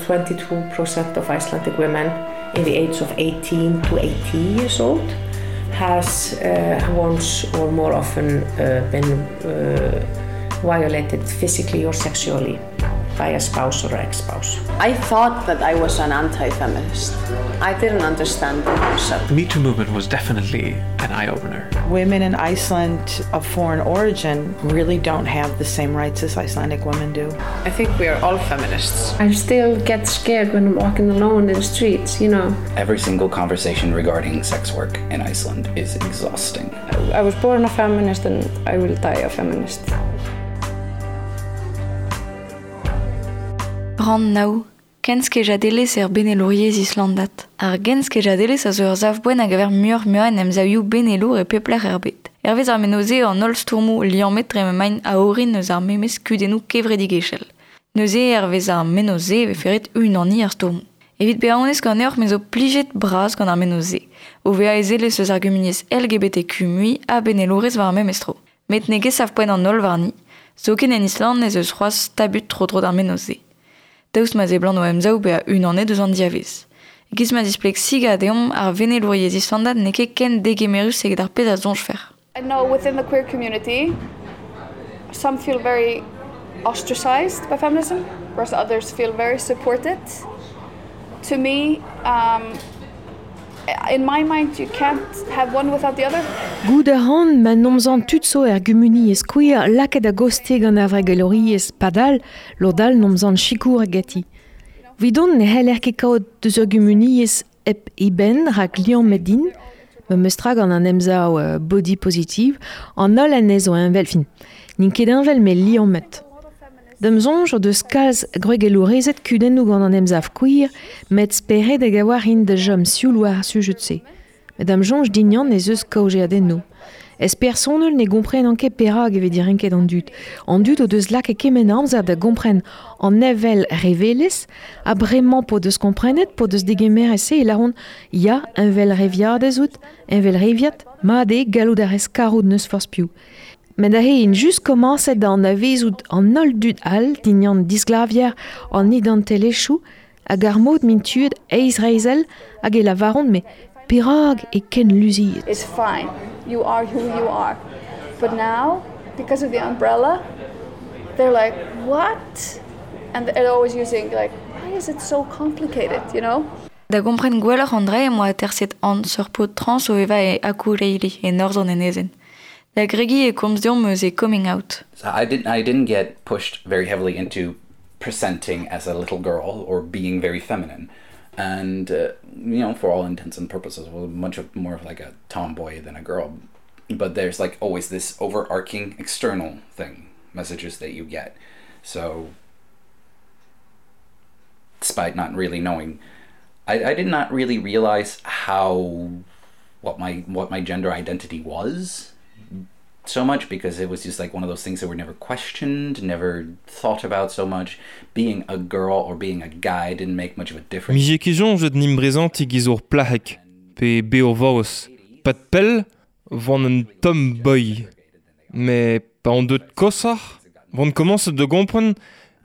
22% of Icelandic women in the age of 18 to 80 years old has once or more often been violated physically or sexually by a spouse or ex-spouse. I thought that I was an anti-feminist. I didn't understand the concept. The Me Too movement was definitely an eye-opener. Women in Iceland of foreign origin really don't have the same rights as Icelandic women do. I think we are all feminists. I still get scared when I'm walking alone in the streets, you know. Every single conversation regarding sex work in Iceland is exhausting. I was born a feminist and I will die a feminist. Rann nav, Kenskejadelezh er benelouriezh islandat. Ar genskejadelezh a zo ur sav-poent a gaver muioc'h-muiañ en emsavioù benelour e pep lec'h er bed. Hervez ar menoz eo an holl stourmoù liammet dre m'emaint a-orin eus ar memes kudennoù kevredigezhel. Neuze hervez ar menoz-se e vefe ret unaniñ ar stourmoù. Evit bezañ onest ganeoc'h me zo plijet bras gant ar menoz-se, o vezañ ezelez eus ar gumuniezh LGBTQ mui ha benelourez war ar memes tro. Met n'eo ket sav-poent an holl warni, zoken en Island ez eus c'hoazh tabut tro-dro d'ar menoz-se. Daoust ma seblant o emsav bezañ unanet eus an diavez. E-giz ma zispleg Siga deomp ar venelouriezh islandat n'eo ket ken degemerus eget ar pezh a soñjfer. I know within the queer community some feel very ostracized by feminism, whereas others feel very supported. To me, in my mind you can't have one without the other. Goût a ran ma nomzan tud zo er gumuniezh queer lakaet a-goste gant ar wregelouriezh padal lod all nomzan sikour ganti. Evidon ne c'heller ket kaout deus ur gumuniezh hep eben rak liammet din, memes tra gant an emsav body positive, an holl anezho heñvel, fin, n'int ket heñvel met liammet. Da'm soñj o deus kalz gwregelourezed kudennoù gant an emsav queer, met speredek a-walc'h int da chom sioul war ar sujed-se. Met da'm soñj din ez eus kaozeadennoù. Ez personel ne gomprenan ket perak e vez direnket an dud. An dud o deus lakaet kement amzer da gompren an evel revelezh, ha bremañ p'o deus komprenet, p'o deus degemeret se e lâront ya, heñvelreviadez out, heñvelreviad, mat eo gallout a rez karout n'eus forzh piv. Met aze int just komañset da anavezout an holl dud all dindan disglavier an identelezhioù hag ar mod m'int tuet eizhreizhel hag e lavaront met perak eo ken luziet. It's fine. You are who you are. But now, because of the umbrella, they're like, what? And they're always using like, why is it so complicated, you know? Da gompren gwelloc'h an dra em boa aterset Hans, ur paotr trans o vevañ e Akureyri, e norzh an enezenn. Da gregiñ e komz deomp eus e coming out. So I didn't get pushed very heavily into presenting as a little girl or being very feminine. And for all intents and purposes, was much more of like a tomboy than a girl. But there's like always this overarching external thing, messages that you get. So despite not really knowing, I did not really realize what my gender identity was so much, because it was just like one of those things that were never questioned, never thought about so much. Being a girl or being a guy didn't make much of a difference. Mije ket soñjet 'n em brezantiñ giz ur plac'heg, pe be ur vaouez. Pad pell, 'oan un tomboy. Met pa on deut koshoc'h, 'oan komañset da gompren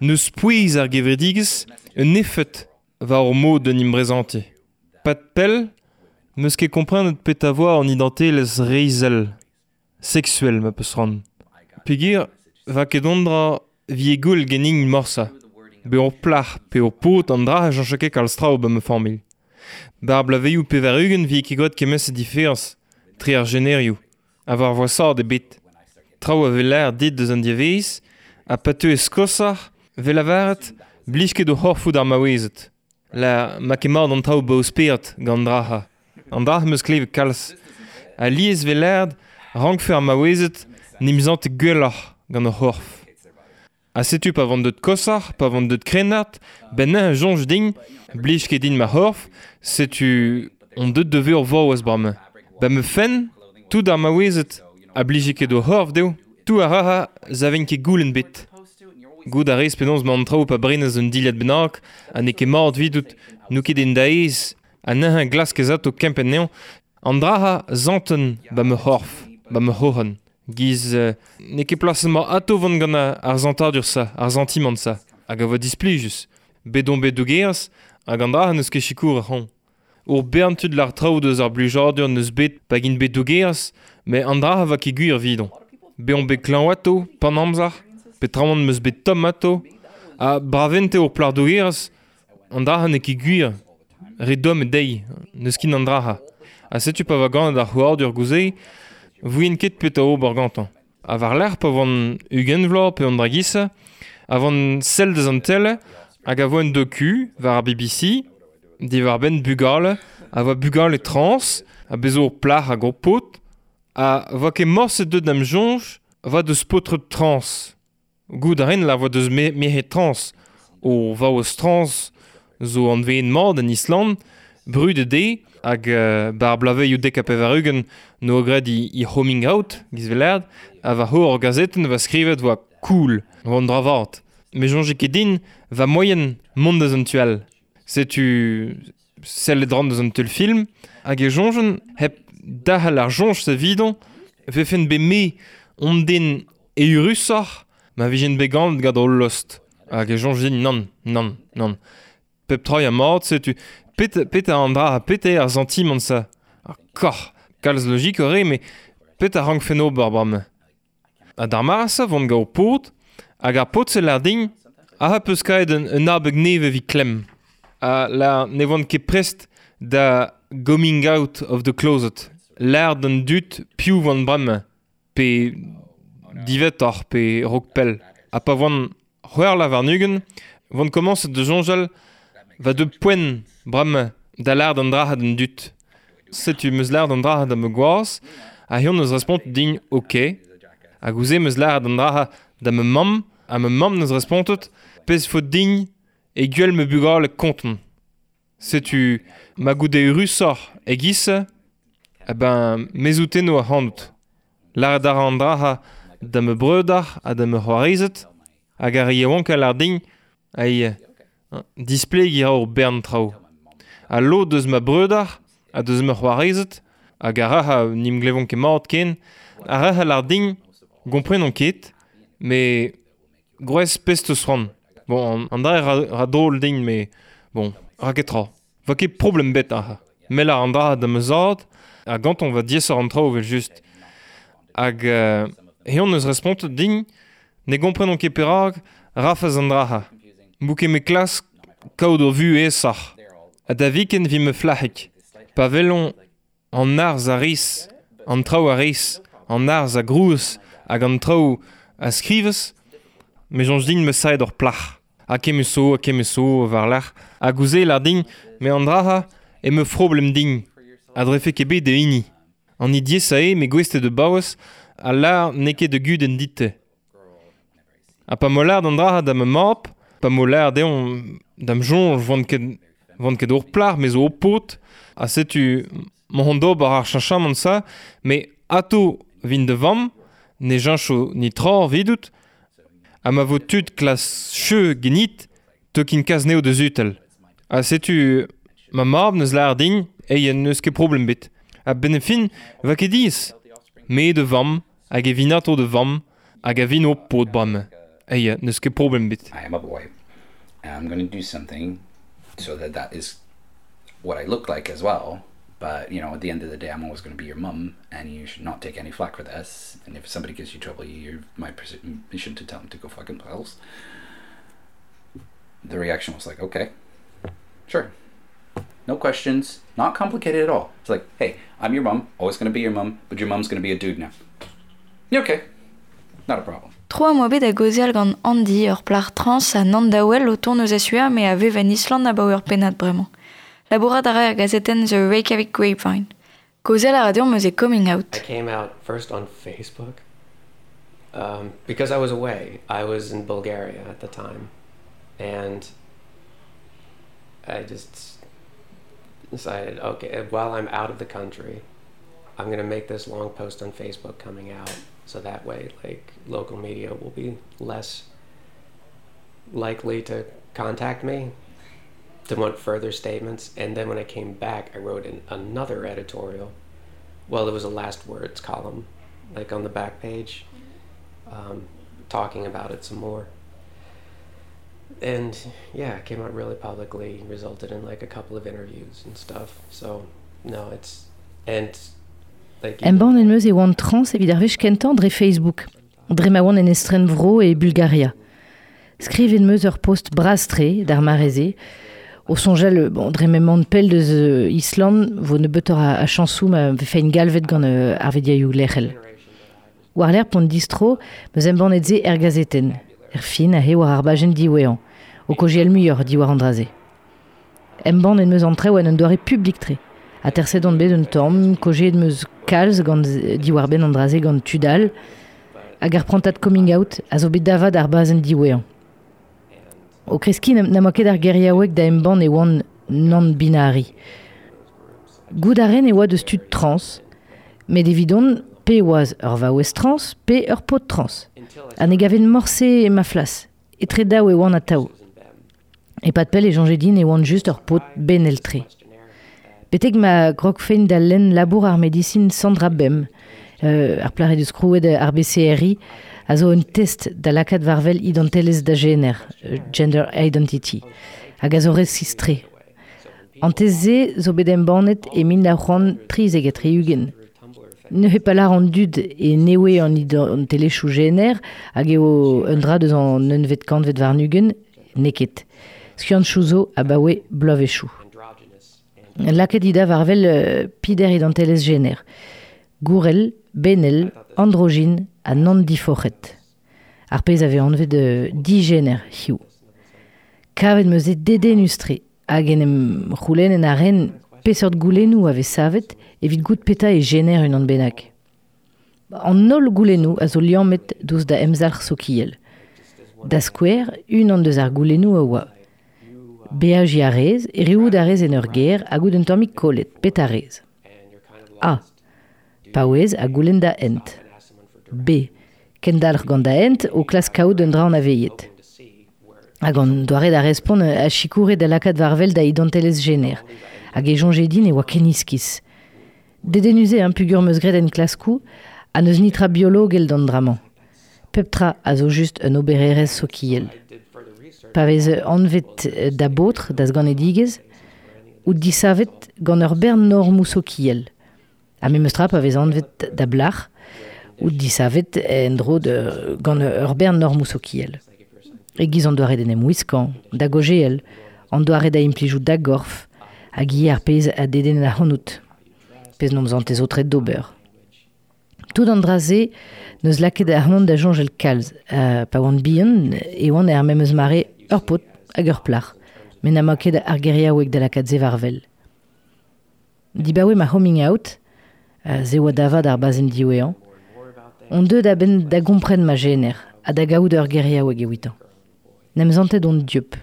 n'eus pouez ar gevredigezh un efed war hor mod d'en em brezantiñ. Pad pell, 'm eus ket komprenet petra 'voa an identelezh reizhel, seksuel ma peus c'hoant. Peogwir 'va ket an dra 'vije gwell ganin morse. Be ur plac'h pe ur paotr an dra a cheñcho ket kalz traoù 'ba ma familh. 'Bar bloavezhioù 80 'vije ket gwraet kement-se diferañs tre ar jenerioù, ha war voasaat ebet. Traoù a vez lâret dit deus an diavaez, ha pa teuez koshoc'h, 'vez lavaret blij ket o c'horfoù d'ar maouezed. La ma ket mat an traoù 'ba o spered gant an dra-se. An dra 'm eus klevet kalz. Alies 'vez lâret rankfe ar maouezed 'n em santet gwelloc'h gant o c'horf. Ha setu pa van deut koshoc'h, pa van deut krennard, 'benn neuze soñj din, blij ket din ma c'horf, setu on deut da vezañ ur vaouez bremañ. 'Ba ma fenn, tout ar maouezed a blije ket o c'horf dezho, tout a ra 'zavent ket goulenn 'bet. Goût a rez penaos 'mañ an traoù pa brenez un dilhad bennak ha n'eo ket mat evidout, n'eo ket en da aes, ha neuze glaskez atao kempenn anezhañ. An dra-se 'santen 'ba ma c'horf, 'ba ma c'hroc'hen. Giz n'eo ket plaset-mañ atao 'vont gant ar santadur-se, ar santimant-se, hag a vo displijus. Bet on bet dougerez, hag an dra n'eus ket sikour ac'han. Ur bern tud lar traoù deus ar blijadur n'eus bet pa gint bet dougerez, met an dra va ket gwir evidon. Bet on bet klañv ato, pan amzer, petramant meus bet tomm ato, ha bravente ur plac'h dougerez, an dra n'eo ket gwir. Re domm eo dezhi, n'eus ket an dra. Ha setu pa va ganet ar c'houardur gouze, vouen ket petra ober gantañ. Ha war-lerc'h pa oan 20 vloaz pe an dra giz-se, a oan sell deus an tele hag a voa un doku war ar BBC diwar-benn bugale, a voa bugale trans, ha bez zo ur plac'h hag ur paotr, ha voa ket morse deuet d'am soñj voa deus paotred trans. Goût a rin la voa deus merc'hed trans, o vaouez trans zo anveet mat en Island, brudet eo, hag ba ar bloavezhioù 90 n'oa graet he coming out, giz 'vel ha war c'horr ur gazetenn va skrivet voa cool, voa an dra vat. Me soñje ket din va moaien mont deus an tu all. Setu sellet ran deus an teulfilm, hag e soñjen hep derc'hel ar soñj-se evidon, vefen bet me on den eürusoc'h ma vijen bet ganet gant hol lost. Hag e soñj din nann, nann, nann. Pep tra ya mat, setu pet an dra ha pet eo ar santimant-se. Ar koc'h, kalz logik eo met pet a rankfen ober bremañ. Ha d'ar mare-se vont gant ho paotr, hag ar paotr-se lâr din ah peus kaet un abeg nevez evit klemm. Ha lâr ne oan ket prest da coming out of the closet. Lâr d'an dud piv oan bremañ, pe diwezhatoc'h pe raok pell. Ha pa oan c'hwec'h vloaz warn-ugent, oan komañset da soñjal va deu poent bremañ da lâr d'an dra d'an dud. Setu 'm eus lâret an dra da ma gwaz, ha eñ 'neus respontet din ok. Hag ouzh 'm eus lâret an dra da ma mamm, ha ma mamm 'neus respontet pezh faot din e gwell ma bugale kontant. Setu ma goude eürusoc'h e-giz-se, eh ben me souteno ac'hanout. Lâret a ra an dra da ma breudeur ha da ma c'hoarezed, hag ar re yaouank a lâr din ai displegiñ a ra ur bern traoù. Ha lod eus ma breudeur ha deus ma c'hoarezed, hag ar ra n'em glevont ket mat ken, ar ra a lâr din gomprenan ket, met gwrez pezh 'teus c'hoant. Bon, an dra ra drol din, met bon, ra ket tra. Va ket problem bet aze. Me lâr an dra da ma zad, ha gantañ va diaesoc'h an traoù evel-just. Hag eñ neus respontet din ne gomprenan ket perak rafez an dra-se. M'bout ket me klask kaout ur vuhez aesoc'h. Ha da viken 'vit ma flac'hig. Pa welont an arz a rez, an traoù a rez, an arz a grouez hag an traoù a skrivez, me soñj din ma saet ur plac'h. Ha kement zo, ha kement zo war-lerc'h. Hag ouzh se lâr din, met an dra-se eo ma froblem din. A drefe ket bet da hini. An hini diaesañ eo me gouest eo da baouez ha lâr n'eo ket da gudenn dit-te. Ha pa 'mo lâret an dra-se da ma mab, pa 'mo lâret dezhañ da'm soñj 'oan ket ur plac'h, me zo ur paotr, ha setu m'hon d'ober ar cheñchamant-se, met atav 'vin da vamm, ne cheñcho netra evidout, ha ma vo tud klas cheu ganit, teu kin kas anezho da sutal. Ha setu ma mab 'neus lâret din eo n'eus ket problem ebet. A-benn ar fin 'va ket diaes. Me da vamm hag e vin atav da vamm hag a vin ho paotr bremañ. Eo, n'eus ket problem ebet. I am a boy, and I'm going to do something so that that is what I look like as well. But, you know, at the end of the day, I'm always going to be your mum, and you should not take any flack for this. And if somebody gives you trouble, you're my permission to tell them to go fuck themselves. The reaction was like, okay, sure. No questions, not complicated at all. It's like, hey, I'm your mum, always going to be your mum, but your mum's going to be a dude now. Yeah, okay, not a problem. Tro am boa bet da gaozeal gant Andy, ur plac'h trans ha nann-daouel o tont eus a Sua met a vev en Island abaoe ur pennad bremañ. Labourat a ra er gazetenn The Reykjavik Grapevine. Kaozeal a ra deomp eus e coming out. I came out first on Facebook because I was away. I was in Bulgaria at the time. And I just decided, okay, while I'm out of the country, I'm going to make this long post on Facebook coming out. So that way, like, local media will be less likely to contact me to want further statements. And then when I came back, I wrote in another editorial. Well, it was a last words column, like on the back page, talking about it some more. And yeah, it came out really publicly, resulted in like a couple of interviews and stuff. So no, it's and like Embann en meus e oan trans evit ar wech kentañ dre Facebook, dre ma oan en estrenvro e Bulgaria. Skrivet 'm eus ur post bras-tre d'ar mare-se, o soñjal bon, dre m'emaon pell deus Island vo nebeutoc'h a chañsoù ma vefen galvet gant ar vediaioù lec'hel. War-lerc'h p'on distro, 'm eus embannet se er gazetenn, er fin aze war ar bajenn diwezhañ, o kaozeal muioc'h diwar an dra-se. Embann en meus an traoù en un doare publik-tre. Aterset on bet un tamm, kaozeet 'm eus kalz gant diwar-benn an dra-se gant tud all, hag ar prantad coming out a zo bet da vat ar bazenn diwezhañ. O kreskiñ n'am boa ket ar geriaoueg da embann e oan nann-binary. Goût a ren e oa deus tud trans, met evidon pe oaz ur vaouez trans pe ur paotr trans. Ha ne gaven morse ma flas. Etre daou e oan atav. E-pad pell e soñje din e oan just ur paotr benel-tre. Betek ma grogfen da lenn labour ar medisin Sandra Bem, ar plac'h he deus krouet ar BCRI, a zo un test da lakaat war-wel identelezh da jener, gender identity, hag a zo resis-tre. An test-se zo bet embannet e 1973. Neuze pa lâr an dud e newe an identelezhioù jener hag eo un dra deus an unvet kantved warn-ugent, n'eo ket. Skiantoù zo abaoe bloavezhioù. Lakaet he da war-wel peder identelezh jener. Gourel, benel, androgyn ha nann-diforc'het. Ar pezh a vez anvet dijener hiziv. Kavet 'm eus eo dedennus-tre hag en em c'houlennen a ren peseurt goulennoù a vez savet evit goût petra e jener unan bennak. An holl goulennoù a zo liammet douzh da emzalc'h sokial. Da skouer, unan deus ar goulennoù a oa Beajiñ a rez, erruout a rez en ur gêr hag out un tammig kollet, petra 'rez ? A. Paouez ha goulenn da hent. B. Kendalc'h gant da hent o klask kaout un dra anavezet. Hag an doare da respont a sikoure da lakaat war-wel da identelezh jener. Hag e soñje din e oa ken iskis. Dedennus eo peogwir 'm eus graet enklaskoù ha n'eus netra biologel d'an dra-mañ. Pep tra a zo just un obererezh sokial. Pa vez anvet da baotr da'z ganedigezh, out disavet gant ur bern normoù sokial. Ha memes tra pa vez anvet da blac'h, out disavet en-dro gant ur bern normoù sokial. E-giz an doare d'en em wiskañ, da gaozeal, an doare da implijout da gorf, hag ivez ar pezh a dedenn ac'hanout, pezh n'omp santez aotret d'ober. Tout an dra-se n'eus lakaet ac'hanon da soñjal kalz. Pa oan bihan e oan er memes mare ur paotr hag ur plac'h, met n'am boa ket ar geriaoueg da lakaat se war-wel. Dibaoe ma coming out, se oa da vat ar bazenn diwezhañ, on deuet a-benn da gompren ma jener ha da gaout ur geriaoueg evitañ. N'em santet on dieub.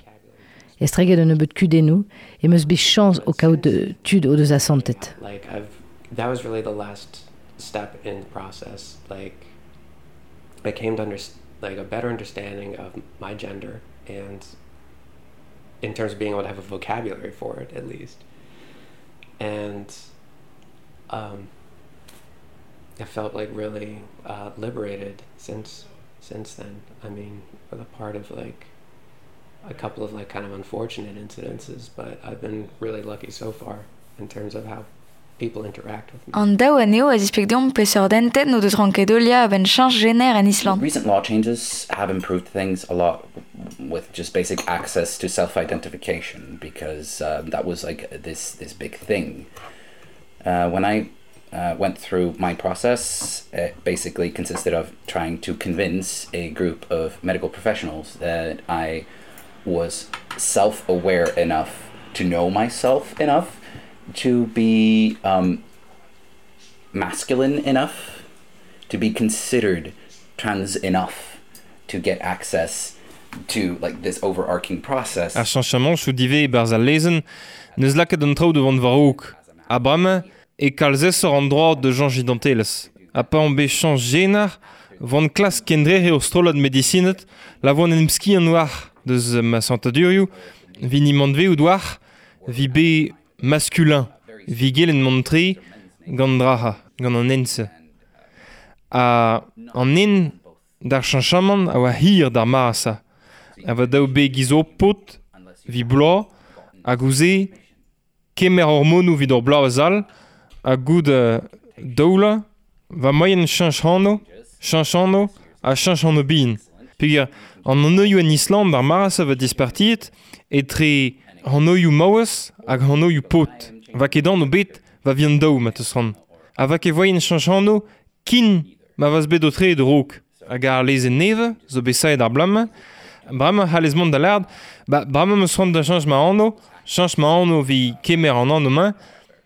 Estreget un nebeud kudennoù em eus bet chañs o kaout tud o deus asantet. Like I've that was really the last step in the process. Like I came to under, like a better understanding of my gender and in terms of being able to have a vocabulary for it at least. And I felt like really liberated since then. I mean, with a part of like a couple of like kind of unfortunate incidences, but I've been really lucky so far in terms of how people interact with me. An daou anezho a zispleg deomp peseurt hentenn o deus ranket heuliañ a-benn cheñch jener en Island. Recent law changes have improved things a lot with just basic access to self-identification because that was like this big thing. When I went through my process, it basically consisted of trying to convince a group of medical professionals that I was self-aware enough to know myself enough to be masculine enough to be considered trans enough to get access to like this overarching process. Ar cheñchamantoù divez e-barzh al lezenn n'eus lakaet an traoù da vont war-raok. Ha bremañ e kalz aesoc'h an droad da cheñch identelezh. Ha pa on bet chañch jener, 'voan klask kendrec'hiñ ur strollad medisined la voan en em skiant war deus ma santadurioù, 'vit nimant-veout war, 'vit bet maskulin, 'vit gellet mont-tre gant draha, gant an hent-se. Ha an hent d'ar cheñchamant a oa hir d'ar mare-se. A va daou be giz o paotr vi bloaz hag ouzh kemer hormonoù evit ur bloavezh all ha goude daoula va moaien cheñch anv, cheñch anv ha cheñch anv bihan. Peogwir an anvioù en Island ar mare-se va dispartiet etre anvioù maouez hag anvioù paotr. Va ket anv bet va vihan daou ma teus c'hoant. Ha va ket voaien cheñch anv kin ma vaz bet o tre raok. Hag ar lezenn nevez zo bet savet ar bloaz-mañ. Bremañ c'hallez mont da lâret, ba bremañ 'm eus c'hoant da cheñch ma anv, cheñch ma anv evit kemer an anv-mañ,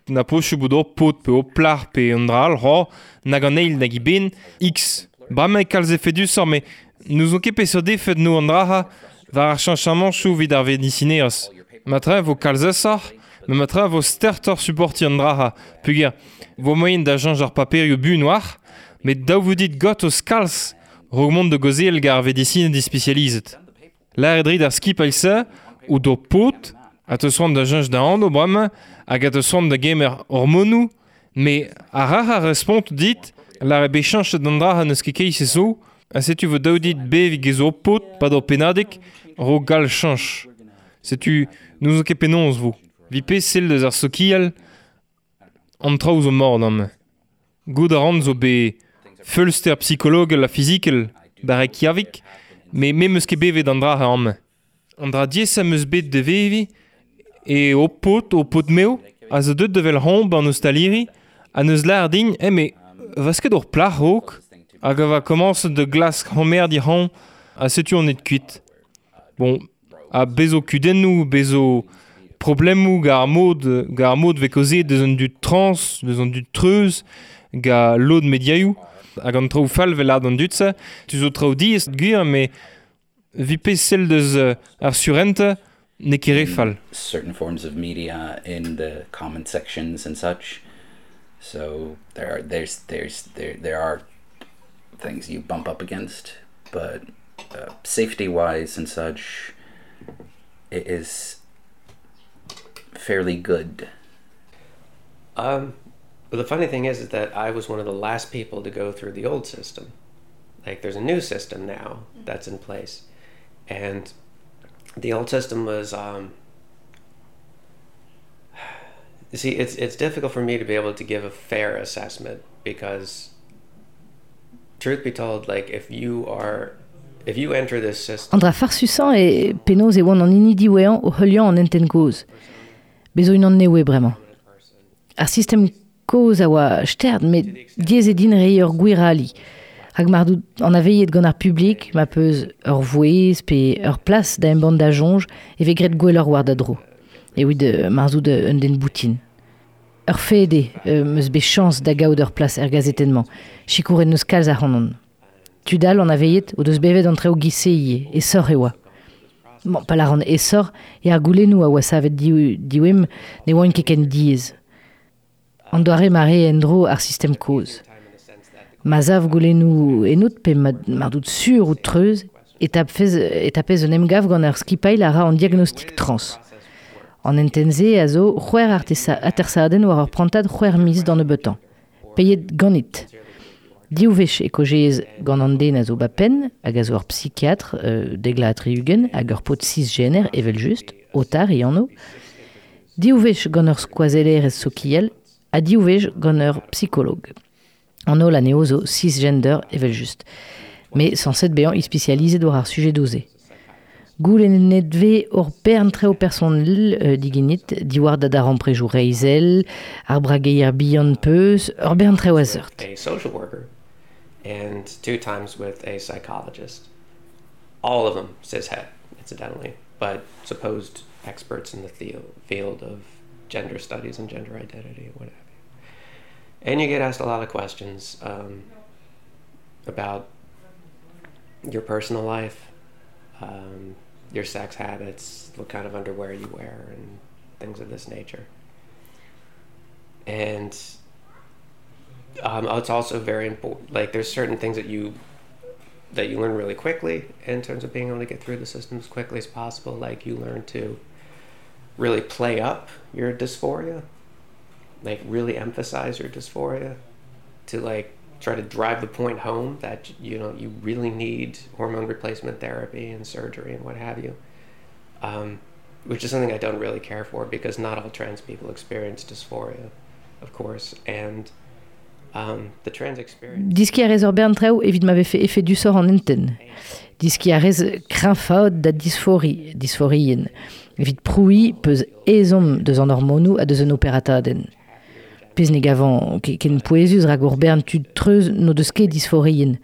na posupl bout ur paotr pe ur plac'h pe un dra all, ho, nag an eil nag eben, X. Bremañ eo kalz efedusoc'h met n'ouzon ket peseurt efed 'no an dra-se war ar cheñchamantoù evit ar vedisinerezh. Matre vo kalz aesoc'h, met matre vo stertoc'h suportiñ an dra-se peogwir vo moaien da cheñch ar paperioù buan oac'h, met dav vo dit gortoz kalz raok mont da gaozeal gant ar vedisined ispisializet. Lâret rit ar skipailh-se o do paotr a teus c'hoant da cheñch da anv bremañ hag a teus c'hoant da gemer hormonoù, met ar rac'h a respont dit lâret bet cheñchet an dra n'eus ket keit-se zo, ha setu vo dav dit beviñ get zo paotr 'pad ur pennadig raok gall cheñch. Setu n'ouzon ket penaos 'vo. 'Vit pezh sell deus ar sokial, an traoù zo mat amañ. Goût a ran zo bet feulster psikologel ha fizikel ba Reykjavik, met me 'm eus ket bevet an dra-se amañ. An dra diaesañ 'm eus bet da veviñ eo ho paotr, ho paotr-mev, a zo deuet da wel c'hoant 'ba an ostaliri ha 'neus lâret din eh met 'vez ket ur plac'h raok hag a va komañset da glask c'homerdiñ c'hoant ha setu on aet kuit. Bon, ha bez zo kudennoù, bez zo problemoù gant ar mod, gant ar mod 'vez kaozeet deus an dud trans, deus an dud treuz, gant lod mediaioù hag an traoù fall 'vel lâret an dud-se. Tu zo traoù diaes gwir met 'vit pezh sell deus ar surentez n'eo ket re fall. Certain forms of media in the comment sections and such. So there are there's there's there there are things you bump up against, but safety wise and such it is fairly good. But the funny thing is, is that I was one of the last people to go through the old system. Like there's a new system now that's in place. And the old system was you see it's difficult for me to be able to give a fair assessment because truth be told like if you are if you enter this system An dra farsusañ eo penaos e oan an hini diwezhañ o heuliañ an hentenn kozh. Bez zo unan nevez bremañ. Ar sistem kozh a oa stert met diaes eo din reiñ ur gwir ali. Rak mar dout anavezet gant ar publik, ma peus ur vouezh pe ur plas da embann da soñj e vez graet gwelloc'h war da dro. Evit mar zout un den boutin. Ur fed eo 'm eus bet chañs da gaout ur plas er gazetenn-mañ. Sikouret 'neus kalz ac'hanon. Tud all anavezet o deus bevet an traoù giz-se ivez, aesoc'h e oa. Bon, pa lâran aesoc'h eo ar goulennoù a oa savet diwemp ne oant ket ken diaes. An doare ma rae en-dro ar sistem kozh. Ma sav goulennoù ennout pe mar dout sur out treuz e tapfez, e tapez un emgav gant ur skipailh a ra an diagnostik trans. An hentenn-se a zo c'hwec'h atersadenn war ur prantad c'hwec'h miz d'an nebeutañ. Paeet ganit. Div wech e kaozeez gant an den a zo ba penn hag a zo ur psikiatr dek vloaz ha tri-ugent hag ur paotr cisgener evel-just, Otar e anv. Div wech gant ur skoazellerez sokial ha div wech gant ur psikolog. An holl anezho zo cisgender evel-just. Met sañset bezañ ispisializet war ar sujedoù-se. Goulennet 'vez ur bern traoù personel digenit diwar da darempredoù reizhel, ar brageier bihan peus, ur bern traoù a seurt. A social worker and two times with a psychologist. All of them cishet, incidentally, but supposed experts in the field of gender studies and gender identity and what have you. And you get asked a lot of questions about your personal life, your sex habits, what kind of underwear you wear, and things of this nature. And it's also very important, like there's certain things that you learn really quickly in terms of being able to get through the system as quickly as possible. Like you learn to really play up your dysphoria, like really emphasize your dysphoria to like try to drive the point home that you know you really need hormone replacement therapy and surgery and what have you. Um, which is something I don't really care for because not all trans people experience dysphoria, of course, and um, the trans experience. Diski a rez ur bern traoù evit ma vefe efedusoc'h an hentenn. Diski a rez kreñfaat da disfori, disforien. Evit prouiñ peus ezhomm deus an hormonoù ha deus un operatadenn. Pezh ne gavan ket ken pouezus rak ur bern tud treuz n'o deus ket disforien.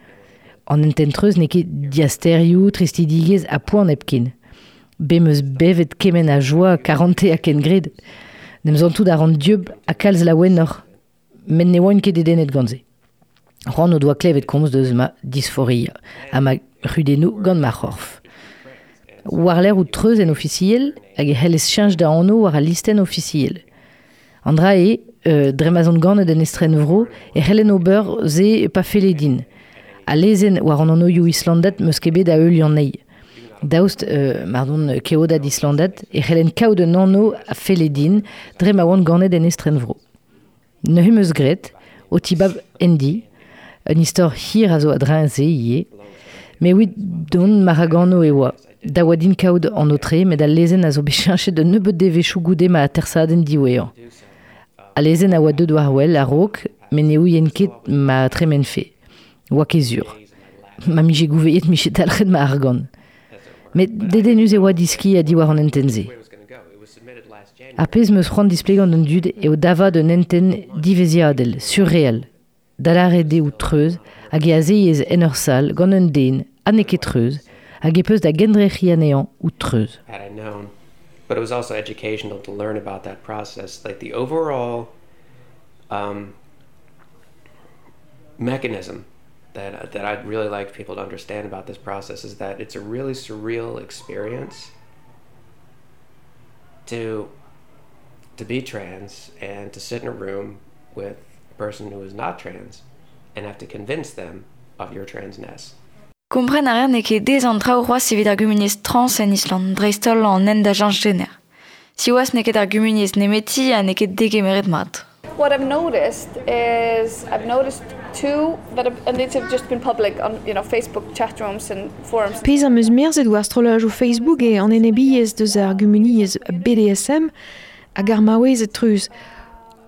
An hentenn treuz n'eo ket diasterioù, tristidigezh ha poan hepken. Bet 'm eus bevet kement a joa, karante ha kengred. N'em santout a ran dieub ha kalz laouenoc'h. Met ne oan ket dedennet gant se. C'hoant o doa klevet komz deus ma disforia ha ma c'hudennoù gant ma c'horf. War-lerc'h out treuz en ofisiel hag e c'hellez cheñch da anv war al listenn ofisiel. An dra eo, dre ma'z on ganet en estrenvro e c'hellen ober se pa felle din. Al lezenn war an anvioù islandat 'm eus ket bet da heuliañ anezhi. Daoust mar don keodad islandat e c'hellen kaout un anv a felle din dre ma oan ganet en estrenvro. Neuze 'm eus graet, o tibab Andy, un istor hir a zo a-dreñv se ivez, met evit dont ma raganv e oa. Da oa din kaout an aotre met al lezenn a zo bet cheñchet un nebeud devezhioù goude ma atersadenn diwezhañ. Al lezenn a oa deuet war-wel a-raok met ne ouien ket ma tremenfe. Oa ket sur. Ma 'mije gouvezet 'mije dalc'het ma argant. Met dedennus e oa diskiñ a-diwar an hentenn-se. Ar pezh 'm eus c'hoant displegañ d'an dud eo davat un hentenn diveziadel, surreal. Da lâret eo treuz hag e azezez en ur sal gant un den ha n'eo ket treuz hag e peus da gendrec'hiñ anezhañ out treuz. Had I known. But it was also educational to learn about that process, like the overall um, mechanism that that I'd really like people to understand about this process is that it's a really surreal experience to to be trans and to sit in a room with a person who is not trans and have to convince them of your transness. Kompren a reer n'eo ket aes an traoù c'hoazh evit ar gumuniezh trans en Island, dreist-holl an hent da cheñch jener. Siwazh n'eo ket ar gumuniezh nemeti ha n'eo ket degemeret mat. What I've noticed is I've noticed two that have, and these have just been public on you know Facebook chat rooms and forums. Pezh am eus merzet war strollajoù Facebook eo an enebiezh deus ar gumuniezh BDSM hag ar maouezed treuz.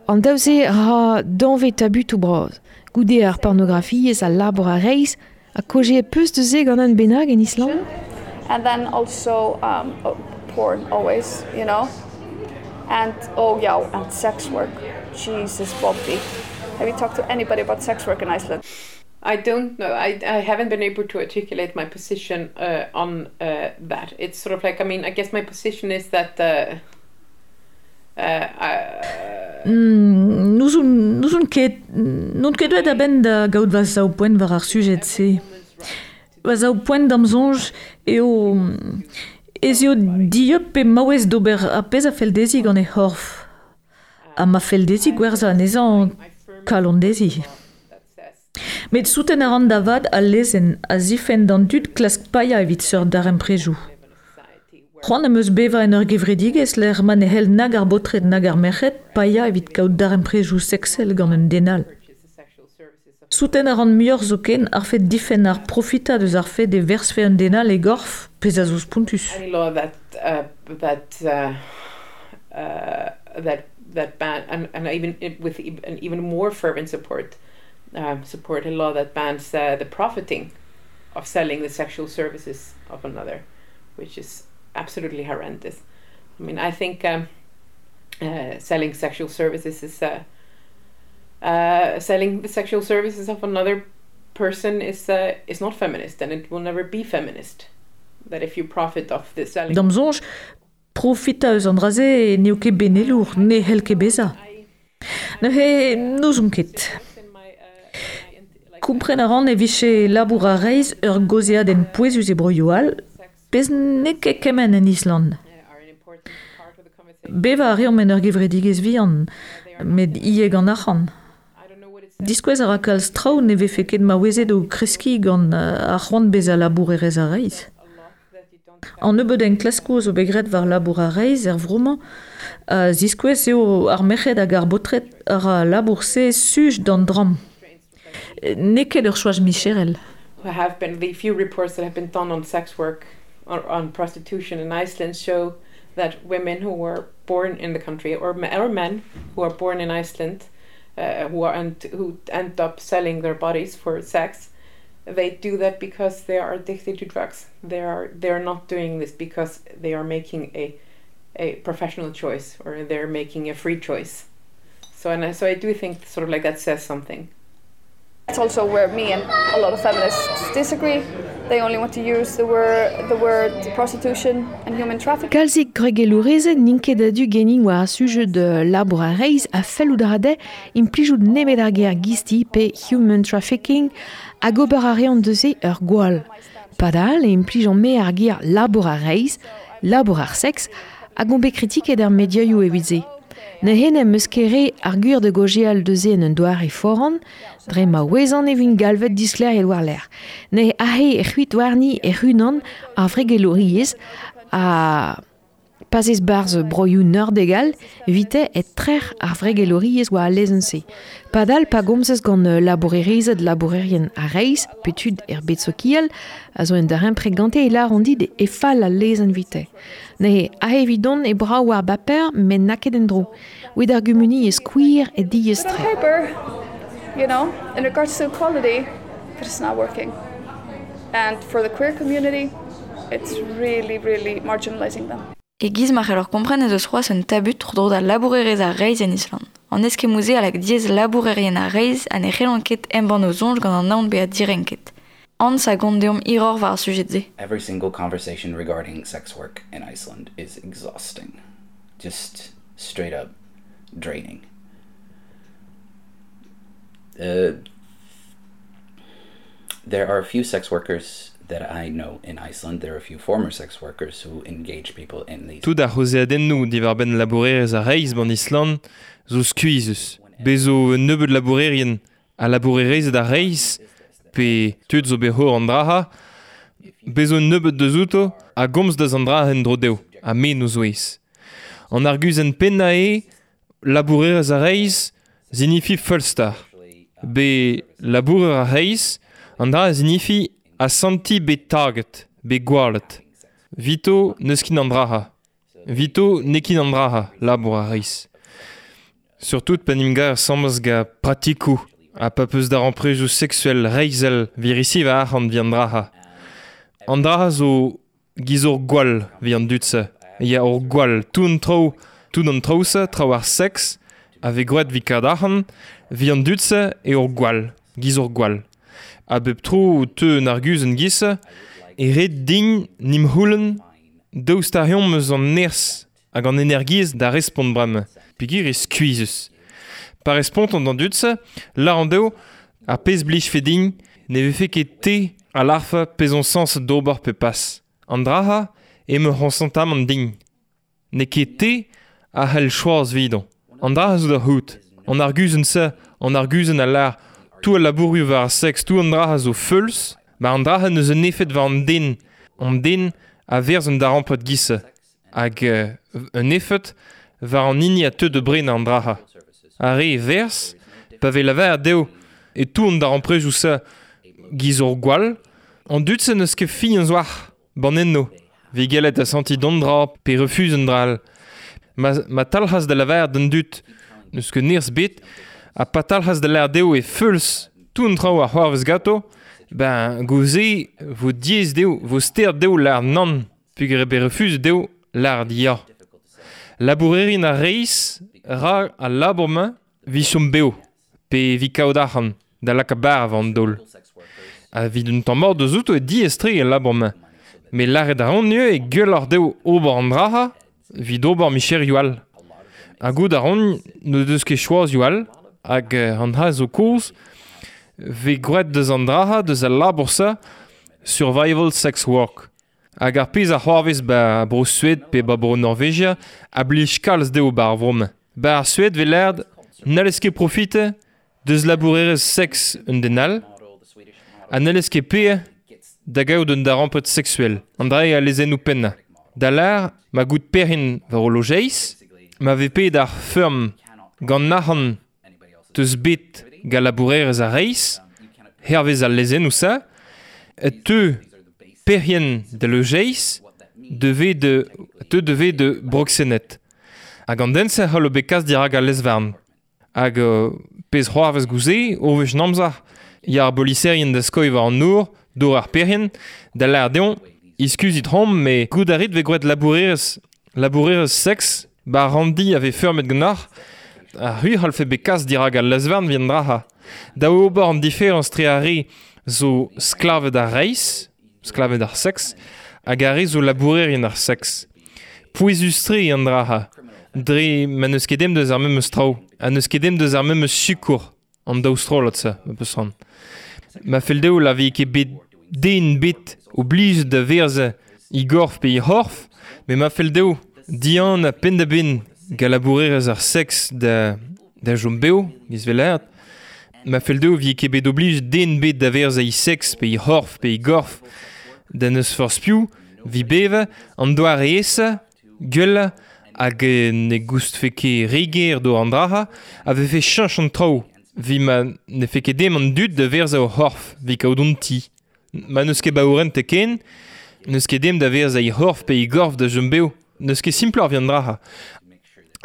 An daou-se ra danvez tabutoù bras. Goude ar pornografiezh, al labour a-reizh ha kaozeet peus deus se gant un bennak en Island? And then also um, oh, porn always, you know. And oh yeah, and sex work. Jesus, Bobby. Have you talked to anybody about sex work in Iceland? I don't know. I, I haven't been able to articulate my position uh, on uh, that. It's sort of like, I mean, I guess my position is that uh, uh, I, mm, N'ouzon ket, n'on ket deuet a-benn da gaout va sav-poent war ar sujed-se. Va sav-poent d'am soñj eo ez eo dieub pe maouez d'ober ar pezh a fell dezhi gant he c'horf. Ha ma fell dezhi gwerzhañ anezhañ kalon dezhi. Met souten a ran da vat al lezenn a zifenn d'an dud klask paeañ evit seurt darempredoù. C'hoant am eus bevañ en ur gevredigezh lec'h ma ne c'hell nag ar baotred nag ar merc'hed paeañ evit kaout darempredoù seksel gant un den all. Souten a ran muioc'h zoken ar fed difenn ar profitañ deus ar fed e verzfe un den all e gorf, pezh a zo spontus. Any law that uh, that uh, uh, that that ban and, and even with an even more fervent support um, support a law that bans uh, the profiting of selling the sexual services of another, which is absolutely horrendous. I mean, I think um, uh, selling sexual services is uh, uh, selling the sexual services of another person is uh, is not feminist and it will never be feminist. That if you profit off the selling D'am soñj, profitañ eus an dra-se n'eo ket benelour, ne c'hell ket bezañ. Neuze n'ouzon ket. Kompren a ran e vije labour ar reizh ur gaozeadenn pouezus e broioù all, pezh n'eo ket kement en Island. Bevañ a reomp en ur gevredigezh vihan, met ivez gant arc'hant. Diskouez a ra kalz traoù ne vefe ket maouezed o kreskiñ gant ar c'hoant bezañ labourerez a-reizh. An nebeud enklaskoù zo bet graet war labour a-reizh er vro-mañ a ziskouez eo ar merc'hed hag ar baotred a ra al labour-se suj d'an dramm. N'eo ket ur choaz micherel. Have been the few reports that have been done on sex work or on prostitution in Iceland show that women who were born in the country or men who are born in Iceland who end up selling their bodies for sex, they do that because they are addicted to drugs. They are not doing this because they are making a professional choice or they're making a free choice. So I do think sort of like that says something. It's also where me and a lot of feminists disagree. They only want to use the word prostitution and human trafficking. Kalzik gwregelourezed n'int ket a-du genin war ar sujet de labour ar reizh a fellout a ra dezhe implijout nemet ar ger gisti pe human trafficking hag ober a reont deus ur gwall. Padal e implijan me ar ger labour ar reizh, labour ar seks, hag on bet kritiket ar mediaioù evit se. Neuze n'em eus ket re ar gwir da gaozeal deus en un doare foran, dre ma ouezan e vin galvet disklêriet war-lerc'h. Neuze aze e c'hwit warni hec'h-unan ar wregelouriezh ha pa'z ez barzh broioù nordegal evite e trec'h ar wregelouriezh war al lezenn-se. Padal pa gomzez gant labourerezed labourerien ar reizh pe tud er bed sokial a zo en darempred gante e lâront dit e fall al lezenn evite. Neuze aze evidon e brav war baper met n'a ket en-dro. Evit ar gumuniezh queer e diaes-tre. Paper, you know, in regards to equality, but it's not working. And for the queer community, it's really, really marginalizing them. E-giz ma c'hellor kompren ez eus c'hoazh un tabut tro-dro da labourerezh ar reizh en Island. An eskemmoù-se a lak diaes labourerien ar reizh ha ne c'hellont ket embann o soñj gant an aon bezañ direnket. Hans a gont deomp hiroc'h war ar sujet-se. Every single conversation regarding sex work in Iceland is exhausting. Just straight up draining. There are a few sex workers that I know in Iceland. There are a few former sex workers who engage people in these. Tout ar c'haozeadennoù diwar-benn labourerezh ar reizh ban Island zo skuizhus. Bez zo un nebeud labourerien ha labourerezed ar reizh pe tud zo bet c'hor an draha, bez zo un nebeud deus outo a gomz deus an dra en-dro dezho, ha me n'o zouez. An arguzenn pennañ eo labourerezh ar reizh zinifi feulster. Be labourer ar reizh, an dra zinifi asanti bet taget, bet gwallet. Vito n'eus ket an draha. Vito n'eo ket an draha, labour ar reizh. Surtout pa n'em gar asambles gant pratikoù ha pa peus darempredoù seksuel reizhel virisi war arc'hant vi an draha. An draha zo giz ur gwall vi an dud-se. Ya ur gwall, tout an traoù-se, traoù ar seks, a vez gwraet vi kad arc'hant, vi an dud-se eo ur gwall, giz ur gwall. A bep tro teu un arguzenn giz-se, e ret din n'im c'houlenn daoust ar eomp eus an nerzh hag an energiezh da respont bremañ, peogwir eo skuizhus. Pa respontant d'an dud-se, lâr an dezho ar pezh blijfe din ne vefe ket te a lârfe pezh on sañset d'ober pe pas. An dra-ha eo ma c'honsantamant din. N'eo ket te a c'hell choaz 'vidon. An dra zo da c'hoût. An arguzenn-se, an arguzenn a lâr tout al labourioù war ar seks, tout an dra zo feuls, ma an dra n'eus un efed war an den. An den a verz un darempred giz-se. Hag un efed war an hini a teu da brenañ an dra. Ar re verz, pa vez lavaret dezho e tout an darempredoù-se giz ur gwall, an dud-se n'eus ket fin an zoar, ban enno. Vez gellet asantiñ d'an dra pe refuz an dra all. Ma talc'has da lavaret d'an dud n'eus ket nerzh bet, ha pa talc'has da lâret dezho e feuls tout an traoù a c'hoarvez ganto, ben gouze vo diaes dezho, vo stert dezho lâret nann, peogwir eo bet refuzet dezho lâret ya. Labourerien ar reizh ra al labour-mañ evit chom bev, pe evit kaout arc'hant da lakaat bara war an daol. Ha evit un tamm mat deus outo e diaes-tre al labour-mañ. Met lâret a ran neuze e gwelloc'h dezho ober an dra-ha evit ober micherioù all. Ha goût a ran n'o deus ket choazioù all, hag an dra zo kozh, vez gwraet deus an dra-ha, deus al labour-se, survival sex work. Hag ar pezh a c'hoarvez ba bro Sued pe ba bro Norvegia a blij kalz dezho ba ar vro-mañ. Ba ar Sued vez lâret n'hallez ket profitañ deus labourerezh seks un den all, ha n'hallez ket paeañ da gaout un darempred seksuel, an dra eo al lezennoù pennañ. Da lâr ma goût perc'henn war o lojeiz, ma vez paeet ar feurm gant arc'hant deus bet gant labourerezh ar reizh, Hervez al lezennoù sa, e teu perien de lojeiz devez de teu devez de broxenet. Hag an den se c'hallo bet kas dirak al lezvarn. Hag pezh c'hoarvez gouze, o wech namzar, ya ar boliserien da skoi war an nour, dor ar perien, da l'ar deon, iskuzit rom, me gout a rit ve gwet labourerez seks, ba randi ave feurmet gnar, a hu c'hallfe bet kas dirak al lezvarn vien draha. Da ober an diferans tre ar re zo sklaved ar reiz, sklaved ar seks, hag ar re zo labourerien ar seks. Pouezus-tre an draha, dre ma n'eus ket dem deus ar memes traoù, ha n'eus ket dem deus ar memes sikour an daou strollad sa, ma peus ran. Ma fell dezho la vi ket bet den bet oblijet da verze i gorf pe i c'horf, met ma fell dezho dian a penn da benn ga labourerez ar seks da jom beo, giz velaat. Ma fell dezho vi ket bet oblijet den bet da verze i seks pe i c'horf pe i gorf da neus forzh piv, vi beve, an doare esa, gwell, hag ne goustfe ket reger do an draha, a vefe cheñch an traoù, vi ma ne fe ket dem an dud da verza o c'horf, vi kaout an ti. Ma n'eus ket baourent ken, n'eus ket dem da verza i c'horf pe i gorf da jom beo, n'eus ket simploc'h vi an draha.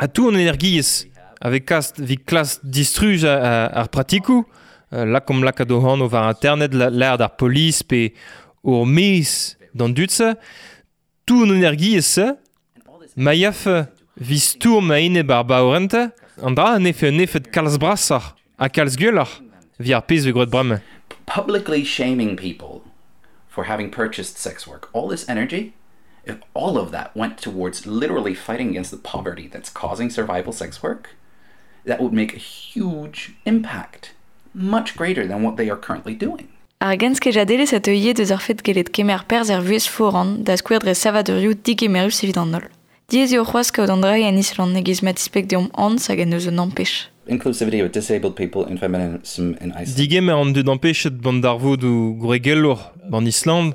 Ha tout an energiezh, avec kast vi klas distruj ar pratikou, lakom lakaat o anv war internet, l'air d'ar polis pe ur mez d'an dud-se, tout an energiezh-se, ma yaf vi stourm a enep ar baourente, an dra an efe un efed kalz brasoc'h ha kalz gwelloc'h vi ar pezh ve gwrad bremañ. Publicly shaming people for having purchased sex work, all this energy, if all of that went towards literally fighting against the poverty that's causing survival sex work, that would make a huge impact, much greater than what they are currently doing. Ar genskejadelezh a teu ivez deus ar fed gellet kemer perzh er vuhez foran da skouer dre savadurioù digemerus evit an holl. Diaes eo c'hoazh kaout an dra en Island e-giz ma tispleg deomp Hans hag en deus un ampech. Inclusivity of disabled people in feminism in Iceland. Digemer an dud ampechet bant darvoudoù gwregelour ban Island,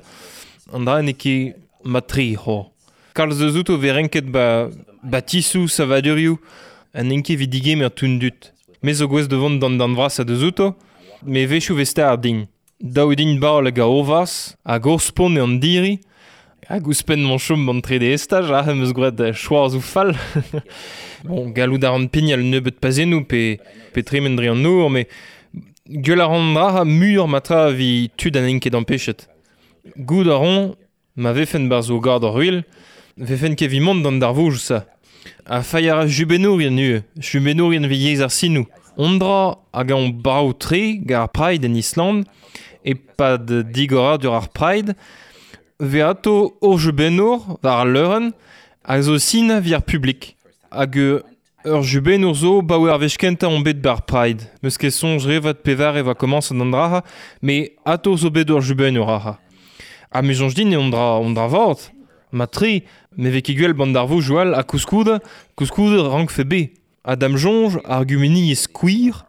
an dra n'eo ket mat-tre c'ho. Kalz eus outo vez renket ba batisou savadurioù an n'int ket evit digemer tout dud. Me zo gouest da vont d'an darn vrasañ deus outo, me wechoù vez start din. Daou din baol hag a ovas, hag ur spont eo an diri, hag ouzhpenn m'on chom ban trede estaj, ah, em eus gwraet choazoù fall. Bon, gallout a ran pignal nebeut pazennoù pe tremen dre an nor, met gwell a ran dra muioc'h ma tra vi tud an int ket ampechet. Goût a ran, ma vefen barzh o gard ar ruilh, vefen ket vi mont d'an darvoudoù sa. Ha failh a ra jubennourien ivez, jubennourien vi yezh ar sinoù. On dra hag an brav-tre gant ar Pride en Island, e-pad digoradur ar Pride, vez ato ur jubennour war al leurenn hag zo sin vi ar publik. Hag ur jubennour zo baoe ar wech kentañ on bet bar Pride. Meus ket soñj revat pevar e va komañset an dra, met ato zo bet ur jubennour aze. Ha me soñj din eo an dra vat. Ma tre, me vez ket gwell bant darvoudoù all ha koulskoude rankfe bet. Ha da'm soñj ar gumuniezh queer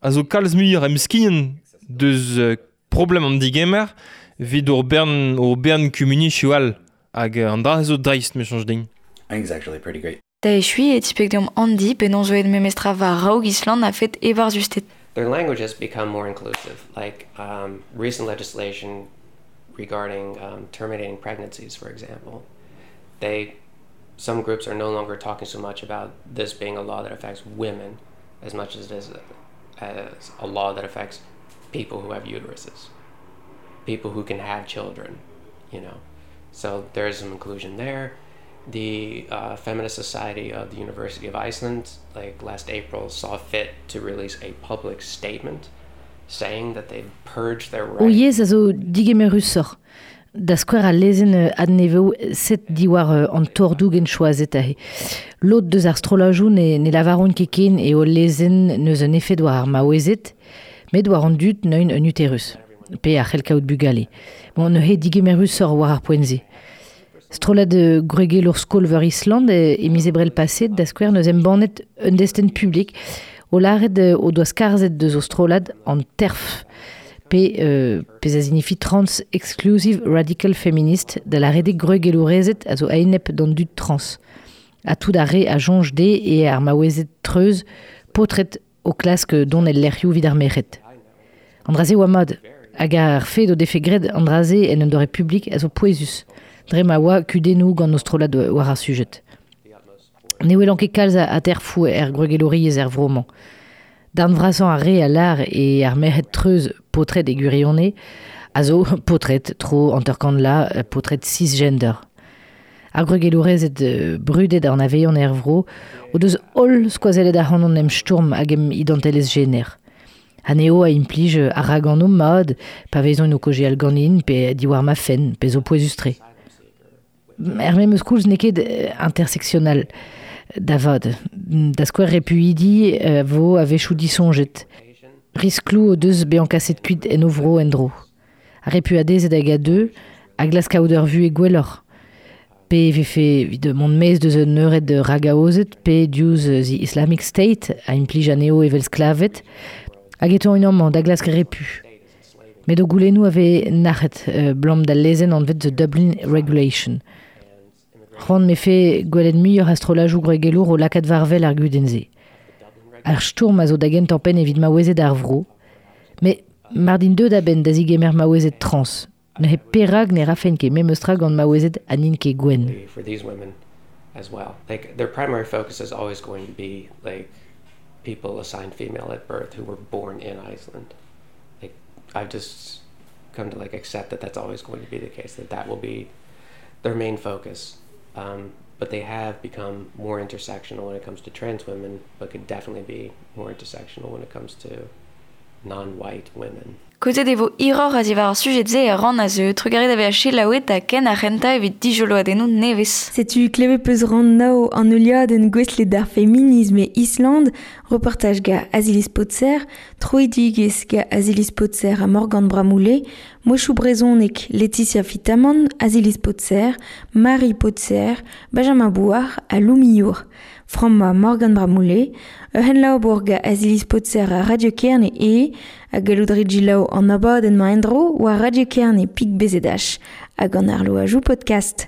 a zo kalz muioc'h emskiant deus problem an digemer evit ur bern kumuniezhioù all. Hag an dra zo dreist, me soñj din. I think it's actually pretty great. Da echuiñ e tispleg deomp Andy penaos zo aet memestra war raok Island a-fet ebarzhusted. Their language has become more inclusive, like recent legislation regarding terminating pregnancies, for example. Some groups are no longer talking so much about this being a law that affects women as much as it is as a law that affects people who have uteruses, people who can have children, you know. So there is some inclusion there. The Feminist Society of the University of Iceland, like last April, saw fit to release a public statement saying that they'd purged their O yezh a zo digemerusoc'h. Da skouer al lezenn adnevev set diwar an torr-dougen choazet aze. Lod deus ar strollajoù ne lavaront ket ken eo lezenn n'eus un efed war ar maouezed, met war an dud neun un uterus, pe a c'hell kaout bugale. Bon, neuze digemerusoc'h war ar poent-se. Strollad gwregelour skol-veur Island e miz Ebrel paset, da skouer n'eus embannet un destenn publik o lâret o doa skarzhet deus o strollad an TERF, pe pezh a signifi Trans Exclusive Radical Feminist, da lâret eo gwregelourezed a zo a-enep d'an dud trans. Ha tout ar re a soñj dezhe eo ar maouezed treuz paotred o klask dont el lec'hioù evit ar merc'hed. An dra-se oa mat. Hag ar fed o defe graet an dra-se en un doare publik a zo pouezus. Dre ma oa kudennoù gant o strollad war ar sujed. Ne welan ket kalz a aterfoù er gwregelouriezh er vro-mañ. Darn vrasañ ar re a lâr e ar merc'hed treuz paotred e gwirionez a zo paotred tro hanter-kant la paotred cisgender. Ar gwregelourezed brudet a anavezan er vro o deus holl skoazellet ac'hanon em stourm hag em identelezh jener. Anezho a implij ar raganv mat pa vezont o kaozeal ganin pe diwar ma fenn pe zo pouezus-tre. Er memes koulz n'eo ket interseksional da vat. Da skouer repuidi vo a-wechoù disoñjet. Riskloù o deus bezañ kaset kuit en o vro en-dro. Ar repuadezed hag a deu a glask kaout ur vuhez gwelloc'h. Pe e vefe evit mont maez deus un eured ragaozet pe diouzh The Islamic State a implij anezho evel sklaved hag e teuint amañ da glask repu. Met o goulennoù a vez nac'het 'blam d'al lezenn anvet The Dublin Regulation. C'hoant 'mefe gwelet muioc'h a strollajoù gwregelour o lakaat war-wel ar gudenn-se. Ar stourm a zo da gentañ-penn evit maouezed ar vro. Met mar dint deuet a-benn da zegemer maouezed trans, neuze perak ne rafen ket memes tra gant maouezed ha n'int ket gwenn? For these women as well. Like their primary focus is always going to be like people assigned female at birth who were born in Iceland. Like I've just come to like accept that that's always going to be the case, that that will be their main focus. But they have become more intersectional when it comes to trans women, but could definitely be more intersectional when it comes to non-white women. Kaozeet e vo hiroc'h a-ziwar ar sujed-se er rann a zeu. Trugarez da vezañ selaouet ha ken ar c'hentañ evit dijoloadennoù nevez. Setu klevet peus rann nav an heuliadenn gouestlet d'ar feminism e Island, reportaj ga Aziliz Potser, troidigezh ga Aziliz Potser ha Morgan Bramoullé, mouezhioù brezhonek Laetitia Fitamant, Aziliz Potser, Marie Potser, Benjamin Bouard ha Lou Millour. Frammañ Morgan Bramoullé, ur c'henlabour ga Aziliz Potser ha Radio Kerne eo, ha gallout rit selaou an abadenn-mañ en-dro war Radio Kerne pik BZH hag an arloajoù podcast.